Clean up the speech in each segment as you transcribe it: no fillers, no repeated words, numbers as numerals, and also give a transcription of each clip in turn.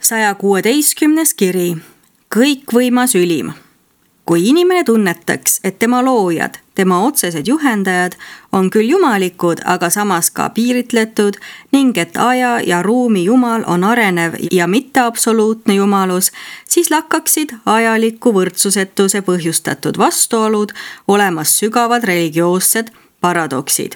116. kiri. Kõikvõimas ülim. Kui inimene tunnetaks, et tema loojad, tema otsesed juhendajad on küll jumalikud, aga samas ka piiritletud ning et aja ja ruumi jumal on arenev ja mitte absoluutne jumalus, siis lakkaksid ajaliku võrdsusetuse põhjustatud vastuolud olemas sügavad religioossed paradoksid.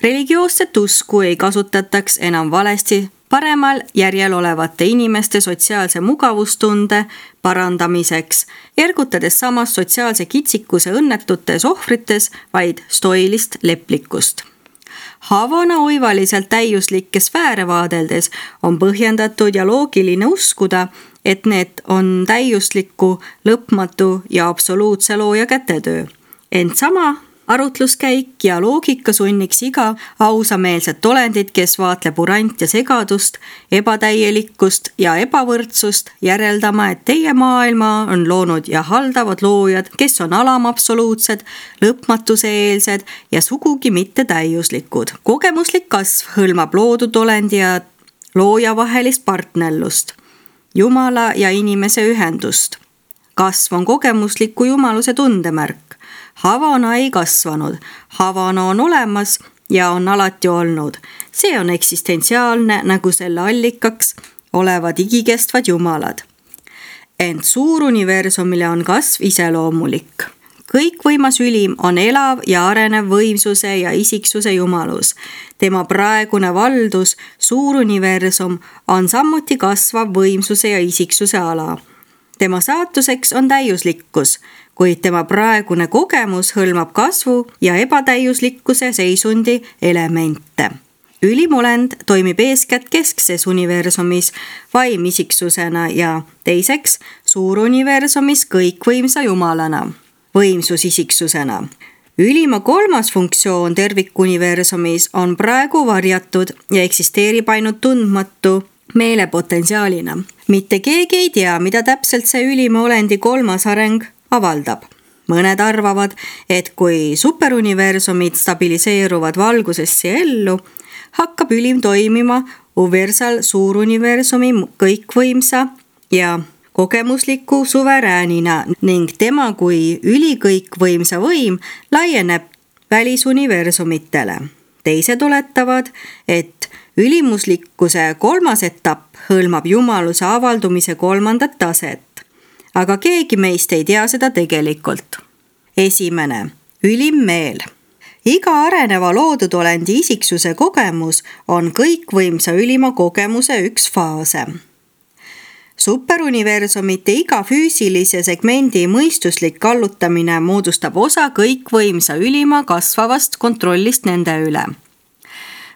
Religioosset usku ei kasutataks enam valesti paremal järjel olevate inimeste sotsiaalse mugavustunde parandamiseks, ergutades samas sotsiaalse kitsikuse õnnetutes ohvrites vaid stoilist leplikust. Havana oivaliselt täiuslikke sfääre vaadeldes on põhjendatud ja loogiline uskuda, et need on täiusliku, lõpmatu ja absoluutse looja kätetöö. Ent sama arutluskäik ja loogika sunniks iga ausameelset olendit, kes vaatleb urant ja segadust, ebatäielikkust ja ebavõrdsust, järeldama, et teie maailma on loonud ja haldavad loojad, kes on alamabsoluutsed, lõpmatuse-eelsed ja sugugi mitte täiuslikud. Kogemuslik kasv hõlmab loodud olendi ja looja vahelist partnerlust, jumala ja inimese ühendust. Kasv on kogemusliku jumaluse tundemärk. Havana ei kasvanud, Havana on olemas ja on alati olnud. See on eksistentsiaalne, nagu selle allikaks olevad igikestvad jumalad. Ent suuruniversumile on kasv iseloomulik. Kõikvõimas ülim on elav ja arenev võimsuse ja isiksuse jumalus. Tema praegune valdus, suuruniversum, on samuti kasvav võimsuse ja isiksuse ala. Tema saatuseks on täiuslikkus, kuid tema praegune kogemus hõlmab kasvu ja ebatäiuslikkuse seisundi elemente. Ülimolend toimib eeskätt keskses universumis vaimisiksusena ja teiseks suuruniversumis kõikvõimsa jumalana, võimsusisiksusena. Ülima kolmas funktsioon tervikuniversumis on praegu varjatud ja eksisteerib ainult tundmatu meelepotentsiaalina. Mitte keegi ei tea, mida täpselt see ülima olendi kolmas areng avaldab. Mõned arvavad, et kui superuniversumid stabiliseeruvad valgusesse ellu, hakkab ülim toimima universal suuruniversumi kõikvõimsa ja kogemusliku suveräänina ning tema kui ülikõikvõimsa võim laieneb välisuniversumitele. Teised oletavad, et ülimuslikkuse kolmas etapp hõlmab jumaluse avaldumise kolmandat taset. Aga keegi meist ei tea seda tegelikult. Esimene, ülim meel. Iga areneva loodud olendi isiksuse kogemus on kõikvõimsa ülima kogemuse üks faase. Superuniversumite iga füüsilise segmendi mõistuslik kallutamine moodustab osa kõikvõimsa ülima kasvavast kontrollist nende üle.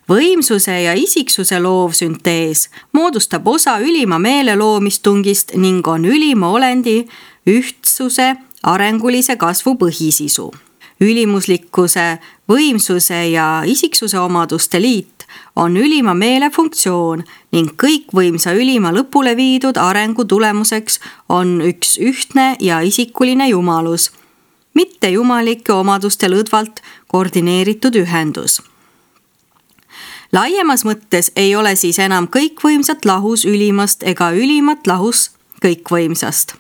Võimsuse ja isiksuse loovsüntees moodustab osa ülima meele loomistungist ning on ülima olendi ühtsuse arengulise kasvu põhisisu. Ülimuslikkuse, võimsuse ja isiksuse omaduste liit on ülima meele funktsioon ning kõikvõimsa ülima lõpule viidud arengu tulemuseks on üks ühtne ja isikuline jumalus, mitte jumalike omaduste lõdvalt koordineeritud ühendus. Laiemas mõttes ei ole siis enam kõikvõimsat lahus ülimast ega ülimat lahus kõikvõimsast.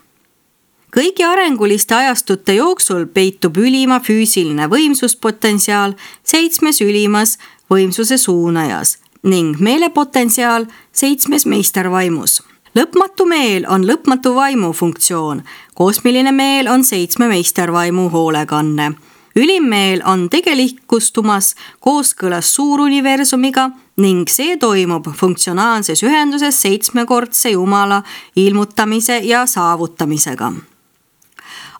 Kõigi arenguliste ajastute jooksul peitub ülima füüsiline võimsuspotentsiaal 7 ülimas võimsuse suunajas ning meelepotentsiaal 7 meistervaimus. Lõpmatu meel on lõpmatu vaimu funktsioon, kosmiline meel on 7 meistervaimu hoolekanne. Ülimmeel on tegelikustumas kooskõlas suuruniversumiga ning see toimub funktsionaalses ühenduses 7-kordse jumala ilmutamise ja saavutamisega.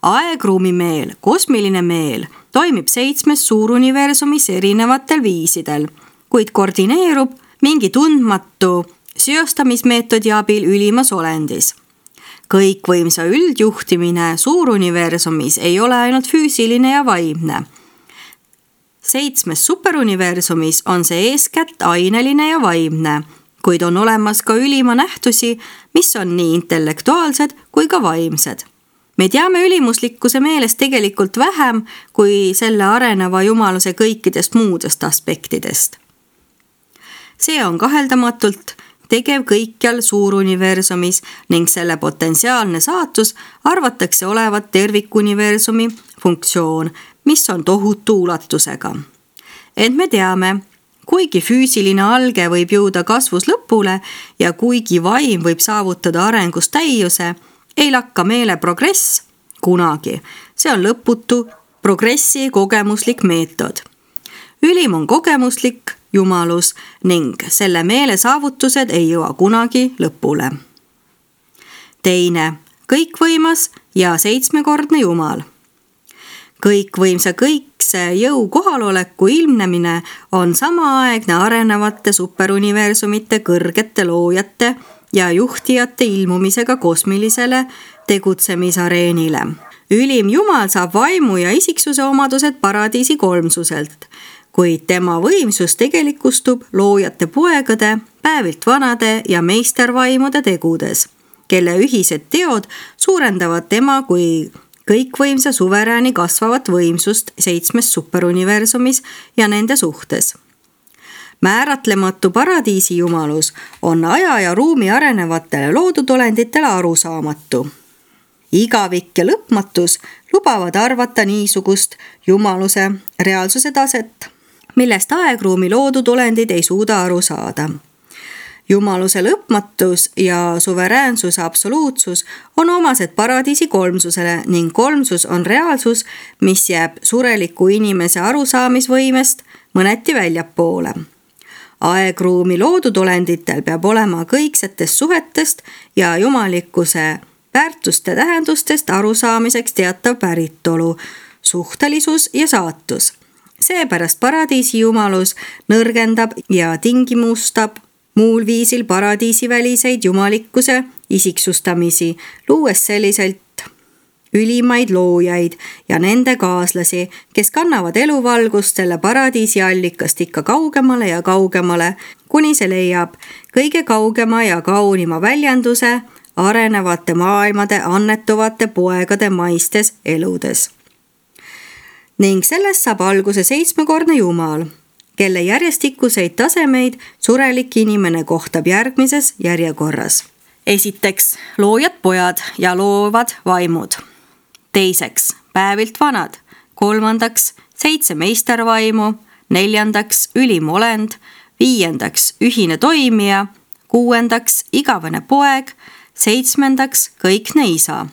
Aegruumi meel, kosmiline meel, toimib 7 suuruniversumis erinevatel viisidel, kuid koordineerub mingi tundmatu seostamismeetodi abil ülimas olendis. Kõikvõimsa üldjuhtimine suuruniversumis ei ole ainult füüsiline ja vaimne. 7 superuniversumis on see eeskätt aineline ja vaimne, kuid on olemas ka ülima nähtusi, mis on nii intellektuaalsed kui ka vaimsed. Me teame ülimuslikkuse meelest tegelikult vähem kui selle areneva jumaluse kõikidest muudest aspektidest. See on kaheldamatult tegev kõikjal suuruniversumis ning selle potentsiaalne saatus arvatakse olevat tervikuniversumi funktsioon, mis on tohutu ulatusega. Ent me teame, kuigi füüsiline alge võib jõuda kasvus lõpule ja kuigi vaim võib saavutada arengus täiuse, ei lakka meele progress kunagi. See on lõputu progressi kogemuslik meetod. Ülim on kogemuslik jumalus ning selle meele saavutused ei jõua kunagi lõpule. Teine, kõikvõimas ja seitsmekordne jumal. Kõikvõimsa kõikse jõu kohaloleku ilmnemine on samaaegne arenevate superuniversumite kõrgete loojate ja juhtijate ilmumisega kosmilisele tegutsemisareenile. Ülim jumal saab vaimu ja isiksuse omadused paradiisi kolmsuselt, kuid tema võimsus tegelikustub loojate poegade, päevilt vanade ja meistervaimude tegudes, kelle ühised teod suurendavad tema kui kõikvõimsa suverääni kasvavat võimsust 7 superuniversumis ja nende suhtes. Määratlematu paradiisi jumalus on aja ja ruumi arenevatele loodudolenditele arusaamatu. Igavik ja lõpmatus lubavad arvata niisugust jumaluse reaalsuse taset, millest aegruumi loodudolendid ei suuda aru saada. Jumaluse lõpmatus ja suveräänsuse absoluutsus on omased paradiisi kolmsusele ning kolmsus on reaalsus, mis jääb sureliku inimese arusaamisvõimest mõneti väljapoole. Aegruumi loodudolenditel peab olema kõiksetest suhetest ja jumalikkuse väärtuste tähendustest arusaamiseks teatav päritolu, suhtelisus ja saatus. Seepärast paradiisi jumalus nõrgendab ja tingimustab muul viisil paradiisiväliseid jumalikkuse isiksustamisi, luues selliselt ülimaid loojaid ja nende kaaslasi, kes kannavad eluvalgust selle paradiisi allikast ikka kaugemale ja kaugemale, kuni see leiab kõige kaugema ja kaunima väljenduse arenevate maailmade annetuvate poegade maistes eludes. Ning sellest saab alguse seitsmekordne jumal, kelle järjestikuseid tasemeid surelik inimene kohtab järgmises järjekorras. Esiteks, loojad pojad ja loovad vaimud. Teiseks, päevilt vanad. Kolmandaks, 7 meistervaimu. Neljandaks, ülim olend. Viiendaks, ühine toimija. Kuuendaks, igavene poeg. 7. kõikne isa.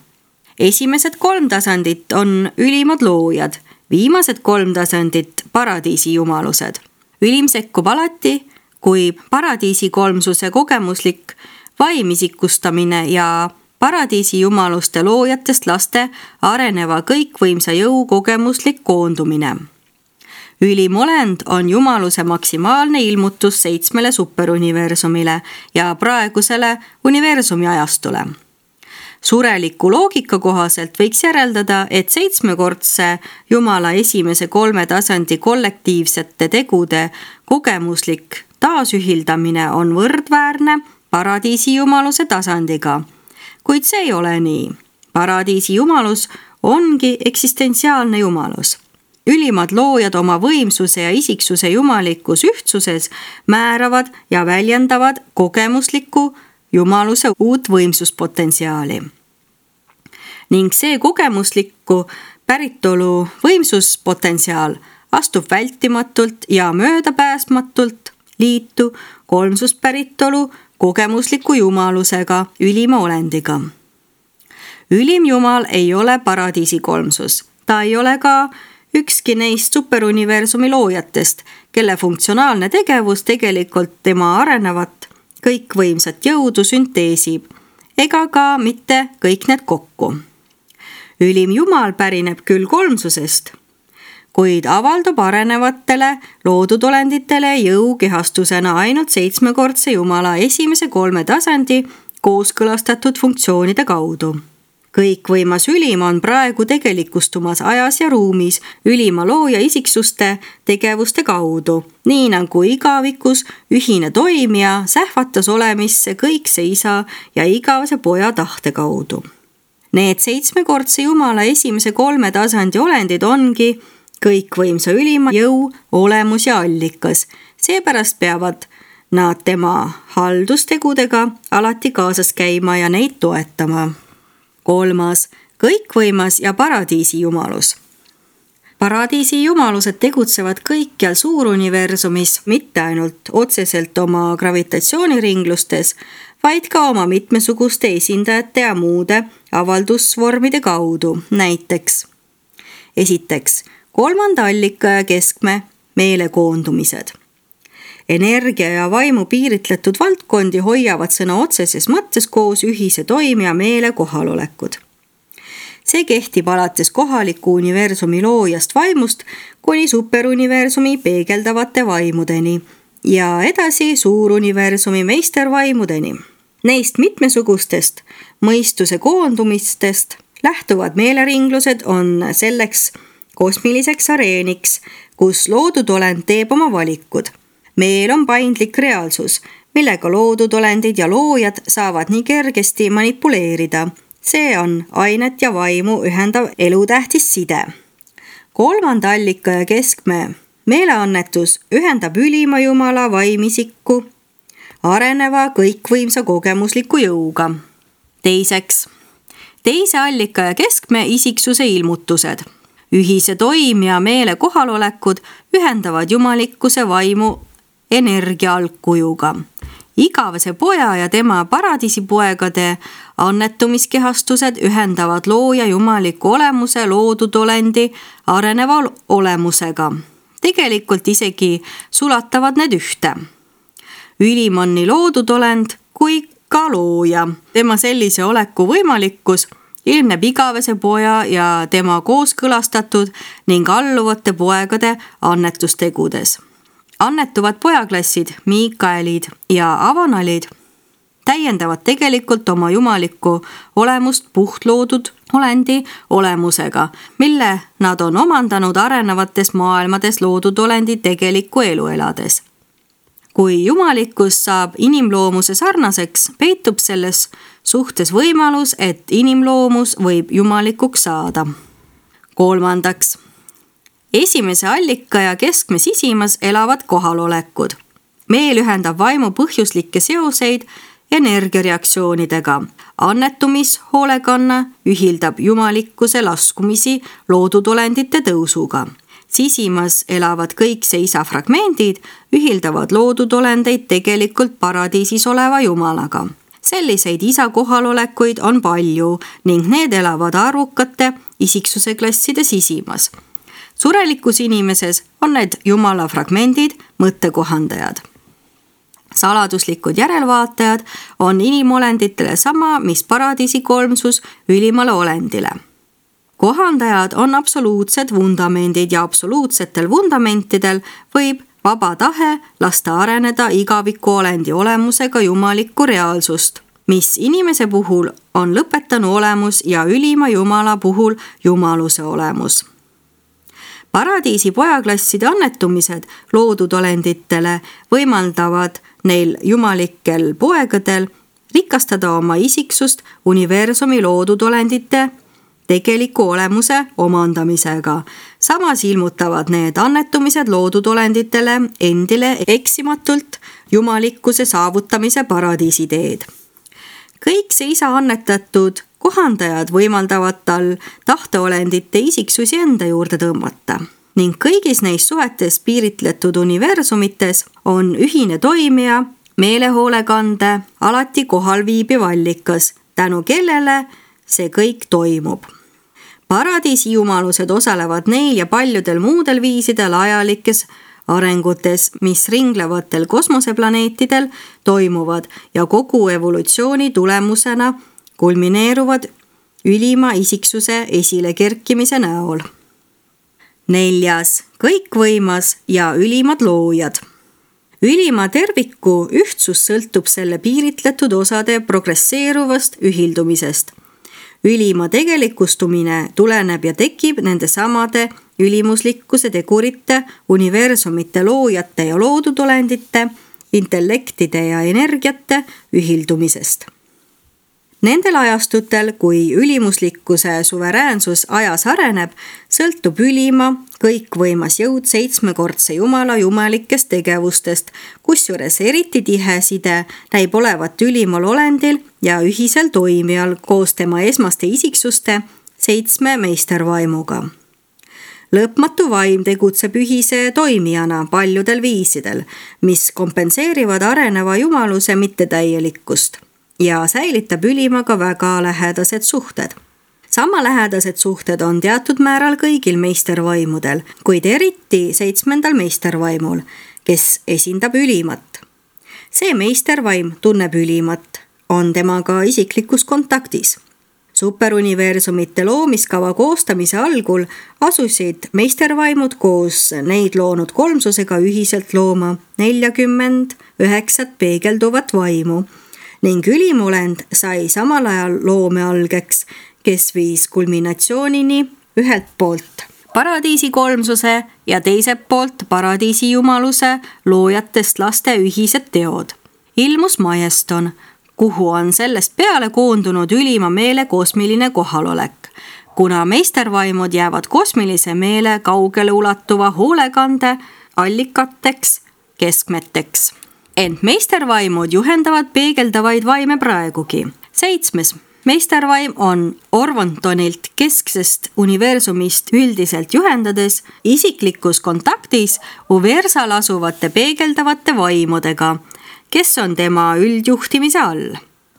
Esimesed 3 tasandit on ülimad loojad, viimased 3 tasandit paradiisi jumalused. Ülim sekkub alati, kui paradiisi kolmsuse kogemuslik vaimisikustamine ja paradiisi jumaluste loojatest laste areneva kõikvõimsa jõu kogemuslik koondumine. Ülim olend on jumaluse maksimaalne ilmutus 7 superuniversumile ja praegusele universumi ajastule. Sureliku loogika kohaselt võiks järeldada, et 7-kordse jumala esimese 3 tasandi kollektiivsete tegude kogemuslik taasühildamine on võrdväärne paradiisi jumaluse tasandiga. Kuid see ei ole nii. Paradiisi jumalus ongi eksistentsiaalne jumalus. Ülimad loojad oma võimsuse ja isiksuse jumalikus ühtsuses määravad ja väljendavad kogemusliku jumaluse uut võimsuspotentsiaali. Ning see kogemuslikku päritolu võimsuspotentsiaal astub vältimatult ja möödapääsmatult liitu kolmsuspäritolu kogemusliku jumalusega, ülima olendiga. Ülim jumal ei ole paradiisi kolmsus. Ta ei ole ka ükski neist superuniversumi loojatest, kelle funktsionaalne tegevus tegelikult tema arenevat kõikvõimsat jõudu sünteesib, ega ka mitte kõik need kokku. Ülim jumal pärineb küll kolmsusest, kuid avaldub arenevatele loodudolenditele jõukehastusena ainult 7-kordse jumala esimese 3 tasandi kooskõlastatud funktsioonide kaudu. Kõikvõimas ülim on praegu tegelikustumas ajas ja ruumis ülima looja isiksuste tegevuste kaudu, nii nagu igavikus ühine toimija sähvatas olemisse kõikse isa ja igavese poja tahte kaudu. Need 7-kordse jumala esimese 3 tasandi olendid ongi kõikvõimsa ülima jõu olemus ja allikas. Seepärast peavad nad tema haldustegudega alati kaasas käima ja neid toetama. 3. kõikvõimas ja paradiisi jumalus. Paradiisi jumalused tegutsevad kõikjal suuruniversumis, mitte ainult otseselt oma gravitatsiooniringlustes, vaid ka oma mitmesuguste esindajate ja muude avaldusvormide kaudu. Näiteks esiteks, 3. allika ja keskme meelekoondumised. Energia ja vaimu piiritletud valdkondi hoiavad sõna otseses mõttes koos ühise toime ja meele kohalolekud. See kehtib alates kohaliku universumi loojast vaimust kuni superuniversumi peegeldavate vaimudeni ja edasi suuruniversumi meistervaimudeni. Neist mitmesugustest mõistuse koondumistest lähtuvad meeleringlused on selleks kosmiliseks areeniks, kus loodud olend teeb oma valikud. Meel on paindlik reaalsus, millega loodud olendid ja loojad saavad nii kergesti manipuleerida. See on ainet ja vaimu ühendav elutähtis side. 3. allika ja keskme meeleannetus ühendab ülima jumala vaimisikku areneva kõikvõimsa kogemusliku jõuga. Teiseks, 2. allika ja keskme isiksuse ilmutused. Ühise toim ja meele kohalolekud ühendavad jumalikkuse vaimu energia algkujuga. Igavese poja ja tema paradiisipoegade annetumiskehastused ühendavad looja jumaliku olemuse loodud olendi areneva olemusega. Tegelikult isegi sulatavad need ühte. Ülim on nii loodud olend kui ka looja. Tema sellise oleku võimalikkus ilmneb igavese poja ja tema kooskõlastatud ning alluvate poegade annetustegudes. Annetuvad pojaklassid, Miikaelid ja Avanalid täiendavad tegelikult oma jumalikku olemust puhtloodud olendi olemusega, mille nad on omandanud arenevates maailmades loodud olendi tegelikku elu elades. Kui jumalikkus saab inimloomuse sarnaseks, peitub selles suhtes võimalus, et inimloomus võib jumalikuks saada. 3. Esimese allika ja keskme sisimas elavad kohalolekud. Meel ühendab vaimu põhjuslikke seoseid energiareaktsioonidega. Annetumishoolekanna ühildab jumalikkuse laskumisi loodud olendite tõusuga. Sisimas elavad kõik see isa fragmendid ühildavad loodud olendeid tegelikult paradiisis oleva jumalaga. Selliseid isa kohalolekuid on palju ning need elavad arvukate isiksuse klasside sisimas. Surelikus inimeses on need jumala fragmendid, mõttekohandajad. Saladuslikud järelvaatajad on inimolenditele sama, mis paradiisi kolmsus ülimale olendile. Kohandajad on absoluutsed vundamendid ja absoluutsetel vundamentidel võib vaba tahe lasta areneda igaviku olendi olemusega jumalikku reaalsust, mis inimese puhul on lõpetanu olemus ja ülima jumala puhul jumaluse olemus. Paradiisi pojaklasside annetumised loodud olenditele võimaldavad neil jumalikel poegadel rikastada oma isiksust universumi loodud olendite tegeliku olemuse omandamisega. Samas ilmutavad need annetumised loodud olenditele endile eksimatult jumalikkuse saavutamise paradiisi teed. Kõik see isa annetatud kohandajad võimaldavad tal tahteolendite isiksusi enda juurde tõmmata ning kõigis neis suhetes piiritletud universumites on ühine toimija, meelehoolekande, alati kohal viibiv allikas, tänu kellele see kõik toimub. Paradiisi jumalused osalevad neil ja paljudel muudel viisidel ajalikes arengutes, mis ringlevatel kosmoseplaneetidel toimuvad ja kogu evolutsiooni tulemusena kulmineeruvad ülima isiksuse esilekerkimise näol. 4. kõikvõimas ja ülimad loojad. Ülima terviku ühtsus sõltub selle piiritletud osade progresseeruvast ühildumisest. Ülima tegelikustumine tuleneb ja tekib nende samade ülimuslikkuse tegurite, universumite loojate ja loodud olendite, intellektide ja energiate ühildumisest. Nendel ajastutel, kui ülimuslikkuse suveräänsus ajas areneb, sõltub ülima kõikvõimas jõud 7-kordse Jumala jumalikest tegevustest, kusjuures eriti tihe side näib olevat ülimal olendil ja ühisel toimijal koos tema esmaste isiksuste 7 meistervaimuga. Lõpmatu vaim tegutseb ühise toimijana paljudel viisidel, mis kompenseerivad areneva jumaluse mittetäielikkust ja säilitab ülimaga väga lähedased suhted. Sama lähedased suhted on teatud määral kõigil meistervaimudel, kuid eriti 7. meistervaimul, kes esindab ülimat. See meistervaim tunneb ülimat, on temaga isiklikus kontaktis. Superuniversumite loomiskava koostamise algul asusid meistervaimud koos neid loonud kolmsusega ühiselt looma 49 peegelduvat vaimu ning ülimolend sai samal ajal loome algeks, kes viis kulminatsioonini ühelt poolt paradiisi kolmsuse ja teiselt poolt paradiisi jumaluse loojatest laste ühised teod. Ilmus Majeston, kuhu on sellest peale koondunud ülima meele kosmiline kohalolek, kuna meistervaimud jäävad kosmilise meele kaugele ulatuva hoolekande allikateks, keskmeteks. Ent meistervaimud juhendavad peegeldavaid vaime praegugi. 7. meistervaim on Orvontonilt kesksest universumist üldiselt juhendades isiklikus kontaktis Uversal asuvate peegeldavate vaimudega, kes on tema üldjuhtimise all.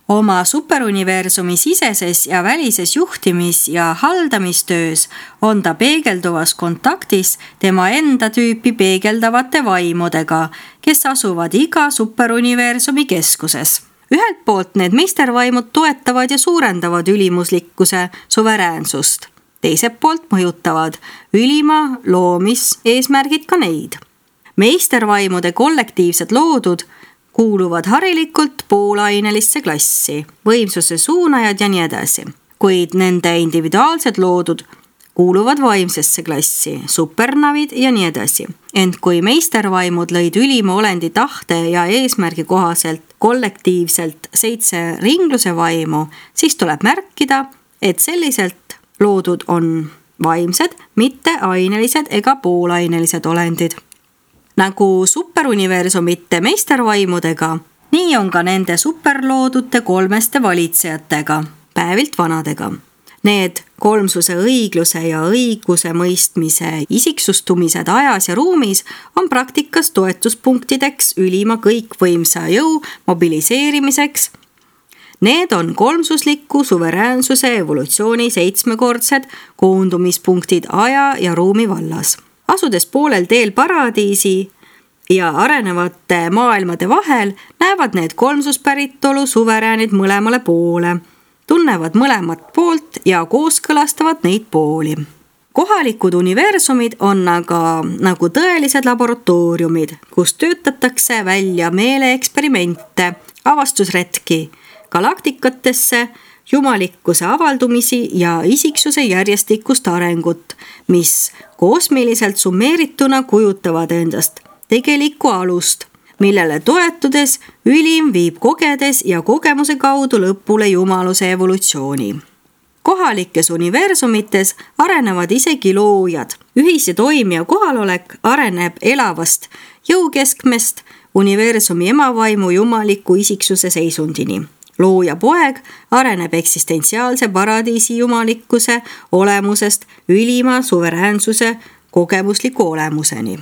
Oma superuniversumi siseses ja välises juhtimis- ja haldamistöös on ta peegelduvas kontaktis tema enda tüüpi peegeldavate vaimudega, kes asuvad iga superuniversumi keskuses. Ühelt poolt need meistervaimud toetavad ja suurendavad ülimuslikkuse suveräänsust. Teiselt poolt mõjutavad ülima loomis eesmärgid ka neid. Meistervaimude kollektiivsed loodud kuuluvad harilikult poolainelisse klassi, võimsuse suunajad ja nii edasi. Kuid nende individuaalsed loodud kuuluvad vaimsesse klassi, supernavid ja nii edasi. Ent kui meistervaimud lõid ülima olendi tahte ja eesmärgi kohaselt kollektiivselt 7 ringluse vaimu, siis tuleb märkida, et selliselt loodud on vaimsed, mitte ainelised ega poolainelised olendid. Nagu superuniversumite meistervaimudega, nii on ka nende superloodute kolmeste valitsejatega, päevilt vanadega. Need kolmsuse õigluse ja õiguse mõistmise isiksustumised ajas ja ruumis on praktikas toetuspunktideks ülima kõikvõimsa jõu mobiliseerimiseks. Need on kolmsusliku suveräänsuse evolutsiooni 7-kordsed koondumispunktid aja ja ruumi vallas. Asudes poolel teel paradiisi ja arenevate maailmade vahel, näevad need kolmsuspäritolu suveräänid mõlemale poole, tunnevad mõlemat poolt ja kooskõlastavad neid pooli. Kohalikud universumid on aga nagu tõelised laboratooriumid, kus töötatakse välja meeleeksperimente, avastusretki, galaktikatesse, jumalikkuse avaldumisi ja isiksuse järjestikust arengut, mis kosmiliselt summeerituna kujutavad endast tegelikku alust, millele toetudes ülim viib kogedes ja kogemuse kaudu lõpule jumaluse evolutsiooni. Kohalikes universumites arenevad isegi loojad. Ühise toimija kohalolek areneb elavast jõukeskmest universumi emavaimu jumaliku isiksuse seisundini. Looja poeg areneb eksistentsiaalse paradiisi jumalikkuse olemusest ülima suveräänsuse kogemusliku olemuseni.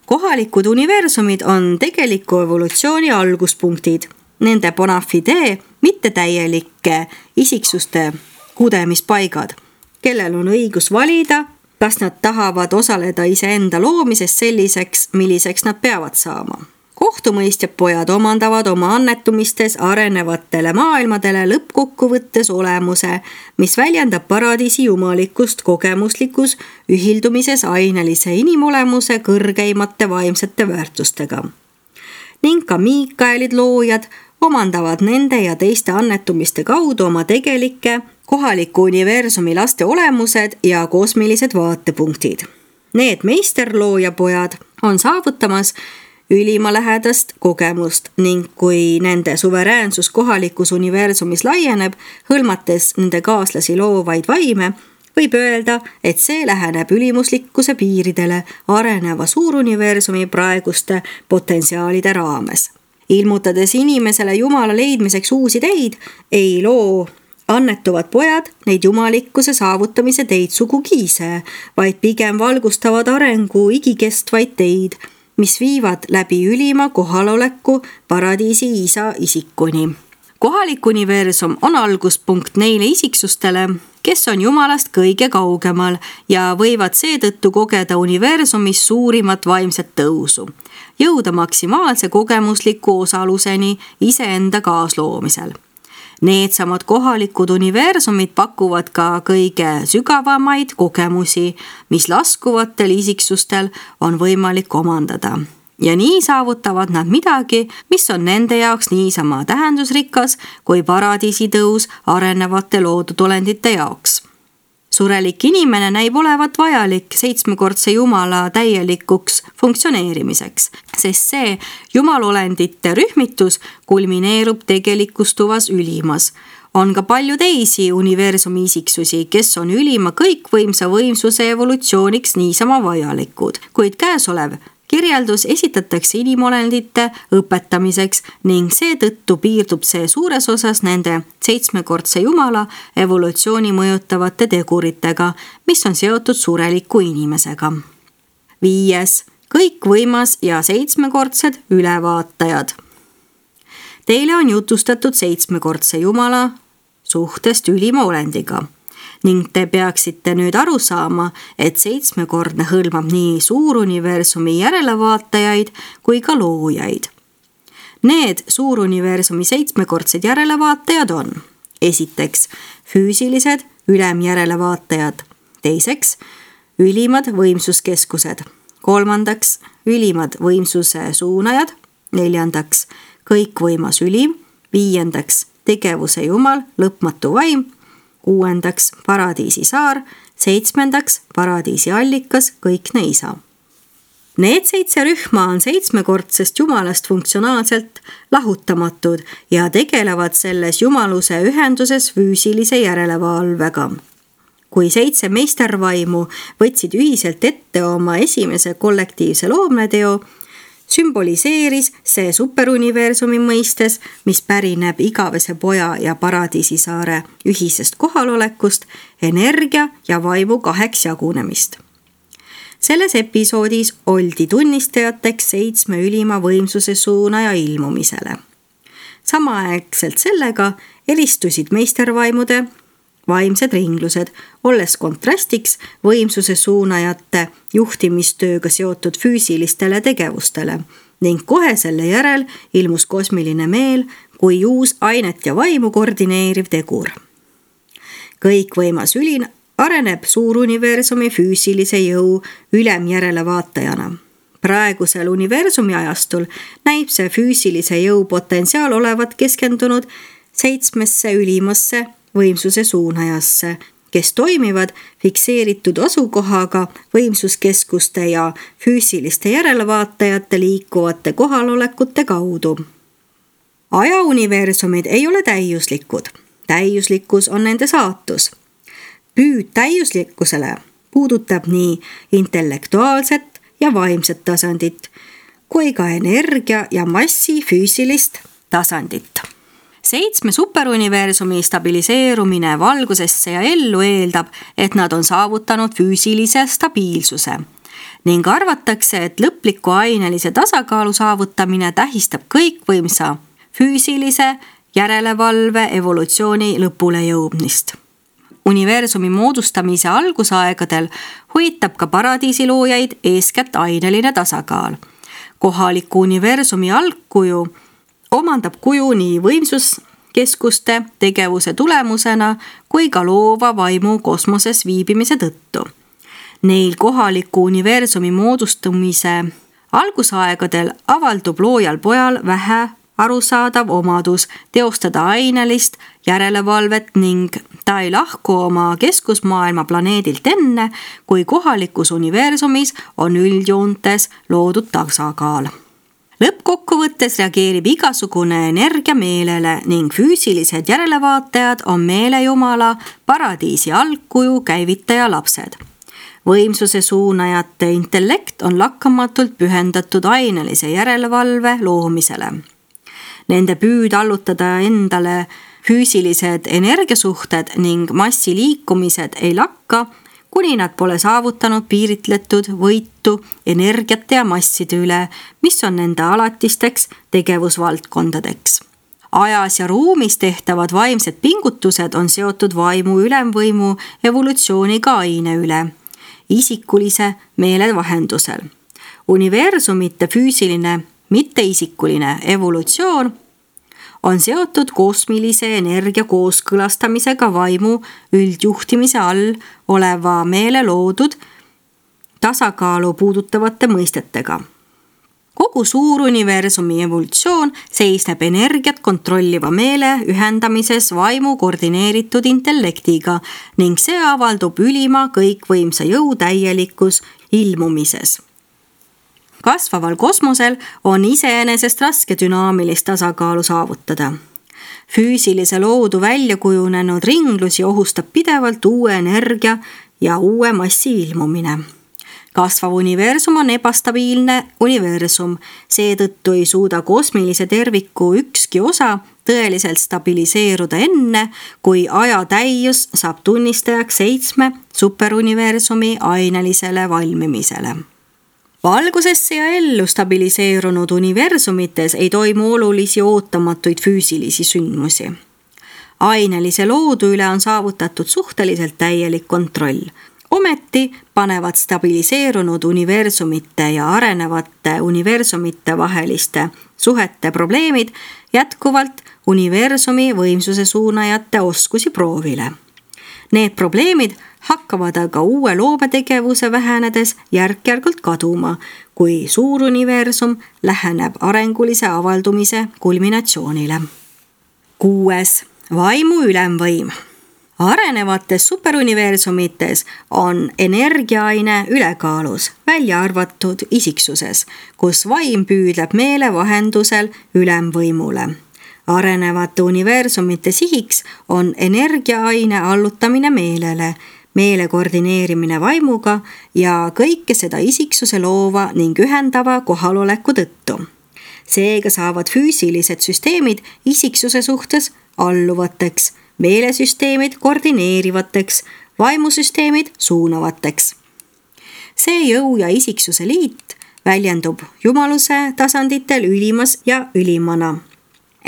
Kohalikud universumid on tegeliku evolutsiooni alguspunktid. Nende bona fide mittetäielike isiksuste kudemispaigad, kellel on õigus valida, kas nad tahavad osaleda iseenda loomises selliseks, milliseks nad peavad saama. Kohtumõistjad pojad omandavad oma annetumistes arenevatele maailmadele lõppkokkuvõttes olemuse, mis väljendab paradiisi jumalikust kogemuslikus ühildumises ainelise inimolemuse kõrgeimate vaimsete väärtustega. Ning ka Miikaelid loojad omandavad nende ja teiste annetumiste kaudu oma tegelikke kohaliku universumi laste olemused ja kosmilised vaatepunktid. Need meisterlooja pojad on saavutamas ülima lähedast kogemust ning kui nende suveräänsus kohalikus universumis laieneb, hõlmates nende kaaslasi loovaid vaime, võib öelda, et see läheneb ülimuslikkuse piiridele areneva suuruniversumi praeguste potentsiaalide raames. Ilmutades inimesele Jumala leidmiseks uusi teid, ei loo annetuvad pojad neid jumalikkuse saavutamise teid sugugi ise, vaid pigem valgustavad arengu igikestvaid teid, mis viivad läbi ülima kohaloleku paradiisi isa isikuni. Kohalik universum on alguspunkt neile isiksustele, kes on Jumalast kõige kaugemal ja võivad seetõttu kogeda universumis suurimat vaimset tõusu, jõuda maksimaalse kogemusliku osaluseni iseenda kaasloomisel. Needsamad kohalikud universumid pakuvad ka kõige sügavamaid kogemusi, mis laskuvatel isiksustel on võimalik omandada. Ja nii saavutavad nad midagi, mis on nende jaoks niisama tähendusrikas kui paradiisitõus arenevate loodudolendite jaoks. Surelik inimene näib olevat vajalik 7-kordse Jumala täielikuks funktsioneerimiseks, sest see jumalolendite rühmitus kulmineerub tegelikustuvas ülimas. On ka palju teisi universumi isiksusi, kes on ülima kõikvõimsa võimsuse evolutsiooniks niisama vajalikud, kuid käesolev kirjeldus esitatakse inimolendite õpetamiseks ning seetõttu piirdub see suures osas nende 7-kordse Jumala evolutsiooni mõjutavate teguritega, mis on seotud sureliku inimesega. 5. Kõikvõimas ja 7-kordsed ülevaatajad. Teile on jutustatud 7-kordse Jumala suhtest ülima olendiga. Ning te peaksite nüüd aru saama, et 7-kordne hõlmab nii suuruniversumi järelevaatajaid kui ka loojaid. Need suuruniversumi 7-kordsed järelevaatajad on: esiteks, füüsilised ülemjärelevaatajad; teiseks, ülimad võimsuskeskused; kolmandaks, ülimad võimsuse suunajad; neljandaks, kõikvõimas ülim; viiendaks, tegevuse Jumal, lõpmatu vaim; kuuendaks, paradiisi saar; seitsmendaks, paradiisi allikas, kõikne isa. Need 7 rühma on 7-kordsest Jumalast funktsionaalselt lahutamatud ja tegelevad selles jumaluse ühenduses füüsilise järelevalvega. Kui 7 meistervaimu võtsid ühiselt ette oma esimese kollektiivse loomneteo, sümboliseeris see superuniversumi mõistes, mis pärineb igavese poja ja paradiisisaare ühisest kohalolekust, energia ja vaimu 2 jagunemist. Selles episoodis oldi tunnistajateks 7 ülima võimsuse suunaja ilmumisele. Samaaegselt sellega helistusid meistervaimude vaimsed ringlused, olles kontrastiks võimsuse suunajate juhtimistööga seotud füüsilistele tegevustele ning kohe selle järel ilmus kosmiline meel kui uus ainet ja vaimu koordineeriv tegur. Kõikvõimas ülin areneb suuruniversumi füüsilise jõu ülemjärelevaatajana. Praegusel universumi ajastul näib see füüsilise jõu potentsiaal olevat keskendunud 7 ülimasse võimsuse suunajasse, kes toimivad fikseeritud asukohaga võimsuskeskuste ja füüsiliste järelevaatajate liikuvate kohalolekute kaudu. Ajauniversumid ei ole täiuslikud. Täiuslikkus on nende saatus. Püüd täiuslikkusele puudutab nii intellektuaalset ja vaimset tasandit, kui ka energia ja massi füüsilist tasandit. 7 superuniversumi stabiliseerumine valgusesse ja ellu eeldab, et nad on saavutanud füüsilise stabiilsuse ning arvatakse, et lõpliku ainelise tasakaalu saavutamine tähistab kõikvõimsa füüsilise järelevalve evolutsiooni lõpule jõudmist. Universumi moodustamise algusaegadel huvitab ka paradiisiloojaid eeskätt aineline tasakaal. Kohaliku universumi algkuju omandab kuju nii võimsuskeskuste tegevuse tulemusena kui ka loova vaimu kosmoses viibimise tõttu. Neil kohaliku universumi moodustumise algusaegadel avaldub loojal pojal vähe arusaadav omadus teostada ainelist järelevalvet ning ta ei lahku oma keskusmaailma planeedilt enne, kui kohalikus universumis on üldjoontes loodud tasakaal. Lõppkokkuvõttes reageerib igasugune energia meelele ning füüsilised järelevaatajad on meelejumala paradiisi algkuju käivitaja lapsed. Võimsuse suunajate intellekt on lakkamatult pühendatud ainelise järelevalve loomisele. Nende püüd allutada endale füüsilised energiasuhted ning massi liikumised ei lakka, kuni nad pole saavutanud piiritletud võitu energiate ja masside üle, mis on nende alatisteks tegevusvaldkondadeks. Ajas ja ruumis tehtavad vaimsed pingutused on seotud vaimu ülemvõimu evolutsiooniga aine üle, isikulise meele vahendusel. Universumite füüsiline, mitteisikuline evolutsioon on seotud kosmilise energia kooskõlastamisega vaimu üldjuhtimise all oleva meele loodud tasakaalu puudutavate mõistetega. Kogu suur universumi evolutsioon seisneb energiat kontrolliva meele ühendamises vaimu koordineeritud intellektiga ning see avaldub ülima kõikvõimsa jõu täielikus ilmumises. Kasvaval kosmosel on iseenesest raske dünaamilist tasakaalu saavutada. Füüsilise loodu välja kujunenud ringlusi ohustab pidevalt uue energia ja uue massi ilmumine. Kasvav universum on ebastabiilne universum, seetõttu ei suuda kosmilise terviku ükski osa tõeliselt stabiliseeruda enne, kui aja täius saab tunnistajaks 7 superuniversumi ainelisele valmimisele. Valgusesse ja ellu stabiliseerunud universumites ei toimu olulisi ootamatuid füüsilisi sündmusi. Ainelise loodu üle on saavutatud suhteliselt täielik kontroll. Ometi panevad stabiliseerunud universumite ja arenevate universumite vaheliste suhete probleemid jätkuvalt universumi võimsuse suunajate oskusi proovile. Need probleemid hakkavad aga uue loometegevuse vähenedes järk-järgult kaduma, kui suur universum läheneb arengulise avaldumise kulminatsioonile. 6. Vaimu ülemvõim. Arenevates superuniversumites on energiaaine ülekaalus, välja arvatud isiksuses, kus vaim püüdleb meele vahendusel ülemvõimule. Arenevate universumite sihiks on energiaaine allutamine meelele, meele koordineerimine vaimuga ja kõike seda isiksuse loova ning ühendava kohaloleku tõttu. Seega saavad füüsilised süsteemid isiksuse suhtes alluvateks, meelesüsteemid koordineerivateks, vaimusüsteemid suunavateks. See jõu ja isiksuse liit väljendub jumaluse tasanditel ülimas ja ülimana.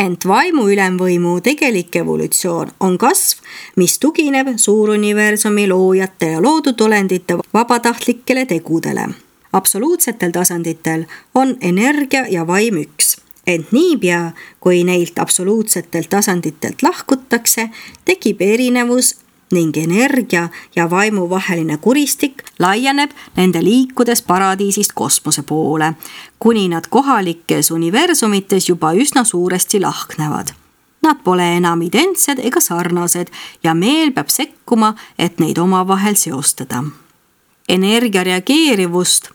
Ent vaimu ülemvõimu tegelik evolutsioon on kasv, mis tugineb suuruniversumi loojate ja loodud olendite vabatahtlikele tegudele. Absoluutsetel tasanditel on energia ja vaim üks, ent niipea, kui neilt absoluutsetelt tasanditelt lahkutakse, tekib erinevus ning energia ja vaimu vaheline kuristik laieneb nende liikudes paradiisist kosmose poole, kuni nad kohalikes universumites juba üsna suuresti lahknevad. Nad pole enam identsed ega sarnased ja meel peab sekkuma, et neid omavahel seostada. Energia reageerivust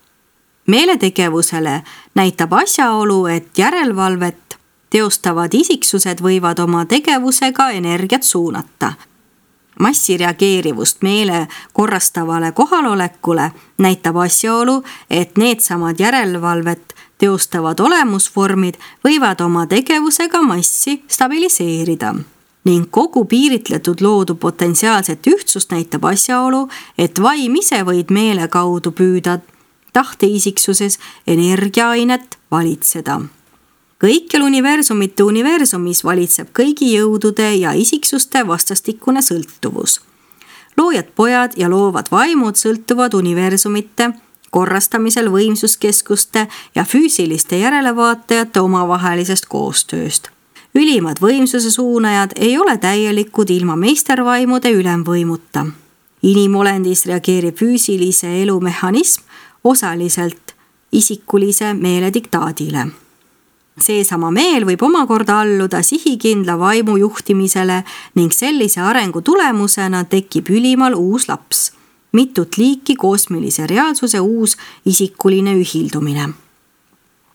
meeletegevusele näitab asjaolu, et järelevalvet teostavad isiksused võivad oma tegevusega energiat suunata. Massi reageerivust meele korrastavale kohalolekule näitab asjaolu, et needsamad järelevalvet teostavad olemusvormid võivad oma tegevusega massi stabiliseerida. Ning kogu piiritletud loodu potentsiaalset ühtsust näitab asjaolu, et vaim ise võid meele kaudu püüda tahteisiksuses energiaainet valitseda. Kõikjal universumite universumis valitseb kõigi jõudude ja isiksuste vastastikune sõltuvus. Loojad pojad ja loovad vaimud sõltuvad universumite korrastamisel võimsuskeskuste ja füüsiliste järelevaatajate omavahelisest koostööst. Ülimad võimsuse suunajad ei ole täielikud ilma meistervaimude ülemvõimuta. Inimolendis reageerib füüsilise elu mehhanism osaliselt isikulise meele diktaadile. Seesama meel võib omakorda alluda sihikindla vaimu juhtimisele ning sellise arengu tulemusena tekib ülimal uus laps, mitut liiki kosmilise reaalsuse uus isikuline ühildumine.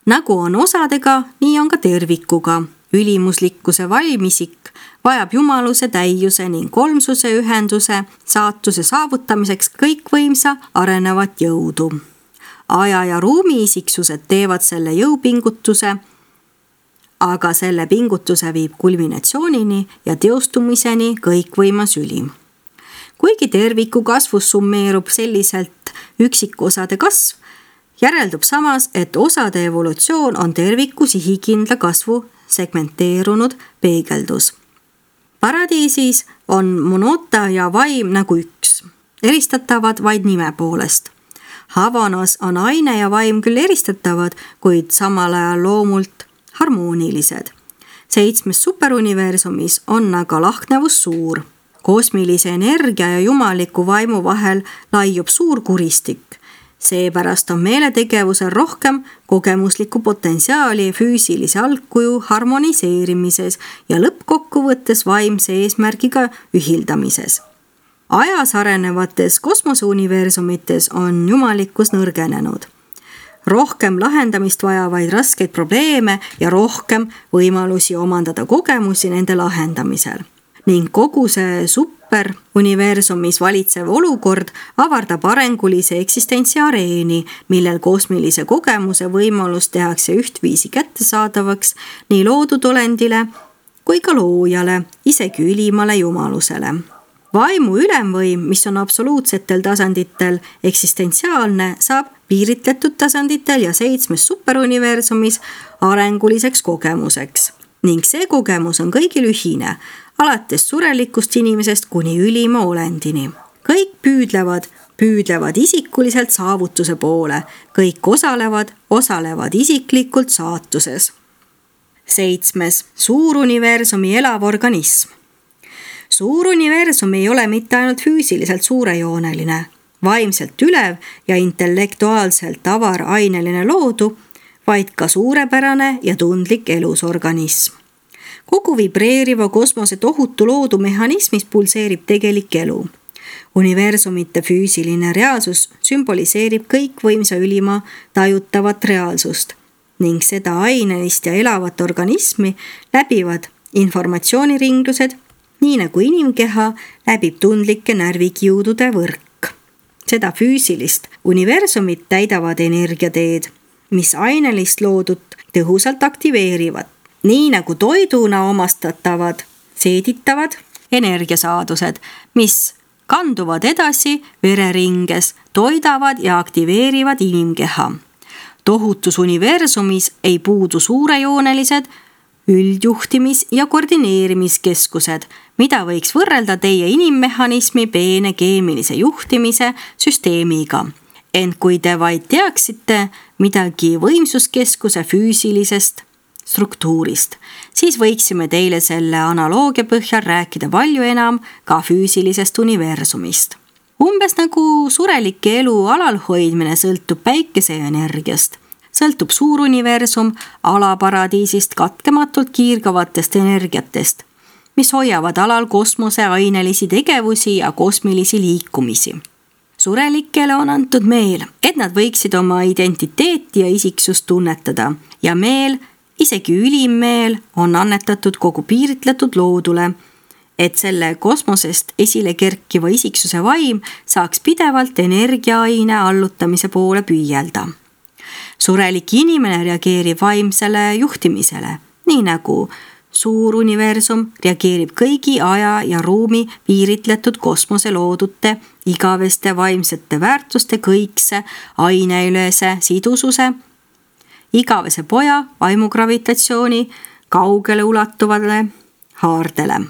Nagu on osadega, nii on ka tervikuga. Ülimuslikkuse valmisik vajab jumaluse täiuse ning kolmsuse ühenduse saatuse saavutamiseks kõikvõimsa arenevat jõudu. Aja ja ruumi isiksused teevad selle jõupingutuse, aga selle pingutuse viib kulminatsioonini ja teostumiseni kõikvõimas ülim. Kuigi terviku kasvus summeerub selliselt üksikosade kasv, järeldub samas, et osade evolutsioon on terviku sihikindla kasvu segmenteerunud peegeldus. Paradiisis on monota ja vaim nagu üks, eristatavad vaid nime poolest. Havanas on aine ja vaim küll eristatavad, kuid samal ajal loomult harmoonilised. 7 superuniversumis on aga lahknevus suur. Kosmilise energia ja jumaliku vaimu vahel laiub suur kuristik. Seepärast on meeletegevusel rohkem kogemuslikku potentsiaali füüsilise algkuju harmoniseerimises ja lõppkokkuvõttes vaimse eesmärgiga ühildamises. Ajas arenevates kosmoseuniversumites on jumalikkus nõrgenenud. Rohkem lahendamist vajavaid raskeid probleeme ja rohkem võimalusi omandada kogemusi nende lahendamisel. Ning kogu see superuniversumis valitsev olukord avardab arengulise eksistentsi areeni, millel kosmilise kogemuse võimalus tehakse ühtviisi kättesaadavaks nii loodud olendile kui ka loojale, isegi ülimale jumalusele. Vaimu ülemvõim, mis on absoluutsetel tasanditel eksistentsiaalne, saab piiritletud tasanditel ja 7 superuniversumis arenguliseks kogemuseks. Ning see kogemus on kõigil ühine, alates surelikust inimesest kuni ülima olendini. Kõik püüdlevad isikuliselt saavutuse poole, kõik osalevad isiklikult saatuses. 7. Suuruniversumi elav organism. Suuruniversum ei ole mitte ainult füüsiliselt suurejooneline, vaimselt ülev ja intellektuaalselt avar aineline loodu, vaid ka suurepärane ja tundlik elusorganism. Kogu vibreeriva kosmose tohutu loodu mehhanismis pulseerib tegelik elu. Universumite füüsiline reaalsus sümboliseerib kõikvõimsa ülima tajutavat reaalsust ning seda ainelist ja elavat organismi läbivad informatsiooniringlused, nii nagu inimkeha läbib tundlike närvikiudude võrk. Seda füüsilist universumit täidavad energiateed, mis ainelist loodut tõhusalt aktiveerivad, nii nagu toiduna omastatavad, seeditavad energiasaadused, mis kanduvad edasi vereringes, toidavad ja aktiveerivad inimkeha. Tohutus universumis ei puudu suurejoonelised üldjuhtimis- ja koordineerimiskeskused, mida võiks võrrelda teie inimmehhanismi peene keemilise juhtimise süsteemiga. Ent kui te vaid teaksite midagi võimsuskeskuse füüsilisest struktuurist, siis võiksime teile selle analoogia põhjal rääkida palju enam ka füüsilisest universumist. Umbes nagu surelike elu alalhoidmine sõltub päikeseenergiast, sõltub suuruniversum alaparadiisist katkematult kiirgavatest energiatest, mis hoiavad alal kosmose ainelisi tegevusi ja kosmilisi liikumisi. Surelikele on antud meel, et nad võiksid oma identiteeti ja isiksust tunnetada ja meel, isegi ülim meel, on annetatud kogu piiritletud loodule, et selle kosmosest esile kerkiva isiksuse vaim saaks pidevalt energiaaine allutamise poole püüelda. Surelik inimene reageerib vaimsele juhtimisele, nii nagu suur universum reageerib kõigi aja ja ruumi piiritletud kosmose loodute igaveste vaimsete väärtuste kõikse aineülese sidususe, igavese poja vaimugravitatsiooni kaugele ulatuvale haardele.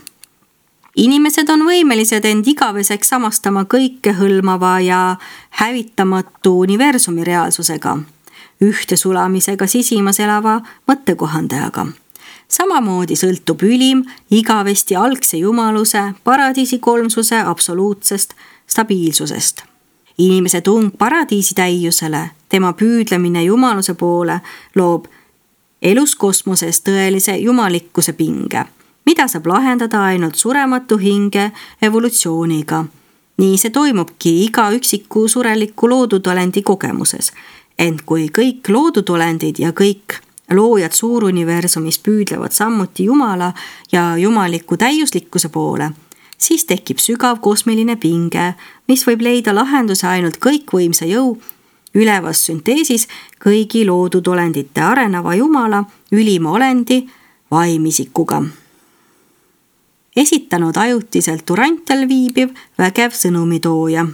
Inimesed on võimelised end igaveseks samastama kõikehõlmava ja hävitamatu universumi reaalsusega, ühte sulamisega sisimas elava mõttekohandajaga. Samamoodi sõltub ülim igavesti algse jumaluse, paradiisi kolmsuse absoluutsest stabiilsusest. Inimese tung paradiisi täiusele, tema püüdlemine jumaluse poole loob elus kosmoses tõelise jumalikkuse pinge, mida saab lahendada ainult surematu hinge evolutsiooniga. Nii see toimubki iga üksiku sureliku loodutolendi kogemuses, Ent kui kõik loodudolendid ja kõik loojad suuruniversumis püüdlevad samuti Jumala ja jumaliku täiuslikkuse poole, siis tekib sügav kosmiline pinge, mis võib leida lahenduse ainult kõikvõimsa jõu ülevas sünteesis kõigi loodudolendite areneva Jumala ülima olendi vaimisikuga. Esitanud ajutiselt Durantial viibiv vägev sõnumitooja.